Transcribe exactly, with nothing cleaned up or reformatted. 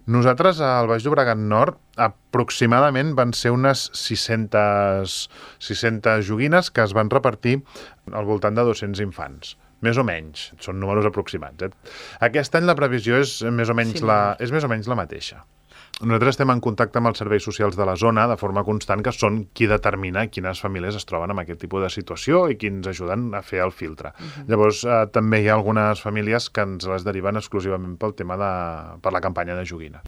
Nosaltres, al Baix Llobregat Nord, aproximadament van ser unes sis-centes joguines que es van repartir al voltant de dos-cents infants. Més o menys, són números aproximats. Eh? Aquest any la previsió és més o menys, sí, la, és més o menys la mateixa. Nosaltres estem en contacte amb els serveis socials de la zona de forma constant, que són qui determina quines famílies es troben en aquest tipus de situació i qui ens ajuden a fer el filtre. Uh-huh. Llavors, eh, també hi ha algunes famílies que ens les deriven exclusivament pel tema de, per la campanya de joguines.